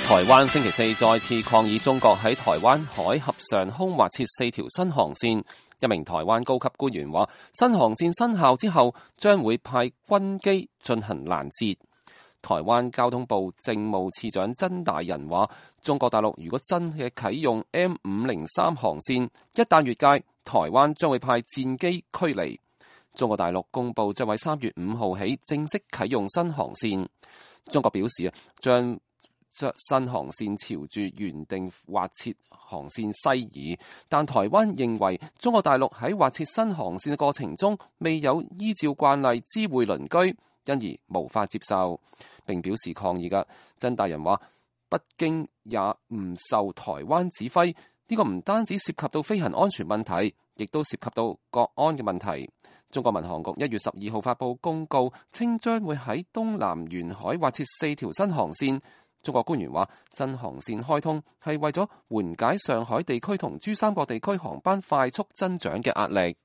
台灣星期四再次抗議中國喺台灣海峽上空劃設4條新航線。一名台灣高級官員話，新航線生效之後，將會派軍機進行攔截。台灣交通部政務次長曾大仁話，中國大陸如果真係啟用 M503 航線，一旦越界，台灣將會派戰機驅離。中國大陸公布將喺3月5號起正式啟用新航線。中國表示將新航線朝住原定劃設航線西移，但台灣認為中國大陸喺劃設新航線嘅過程中未有依照慣例知會鄰居，因而無法接受，並表示抗議嘅。曾大仁話，北京也唔受台灣指揮，呢個唔單止涉及到飛行安全問題，亦都涉及到國安嘅問題。中國民航局1月12號發布公告，稱將會喺東南沿海劃設4條新航線。中國官員話，新航線開通係為咗緩解上海地區同珠三角地區航班快速增長嘅壓力。